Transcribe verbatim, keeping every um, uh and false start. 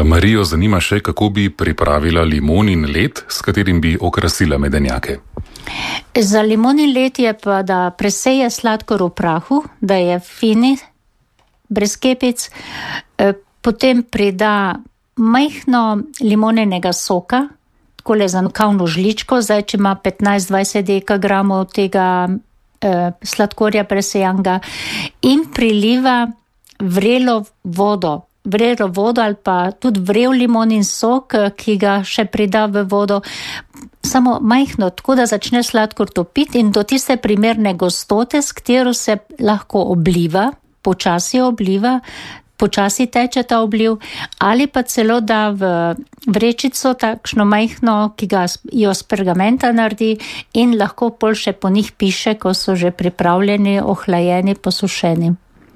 Marijo zanima še, kako bi pripravila limonin led, s katerim bi okrasila medenjake. Za limonin led je pa, da preseje sladkor v prahu, da je fini, brez kepic, potem prida majhno limonenega soka, takole za kavno žličko, zdaj če ima petnajst do dvajset dekagramov tega eh, sladkorja presejanga in priliva vrelo vodo, vrelo vodo ali pa tudi vrel limonin sok, ki ga še prida v vodo, samo majhno, tako da začne sladkor topiti in do tiste primerne gostote, s katero se lahko obliva, počasi obliva, počasi teče ta obliv, ali pa celo da v vrečico takšno majhno, ki ga jo z pergamenta naredi in lahko pol še po njih piše, ko so že pripravljeni, ohlajeni, posušeni.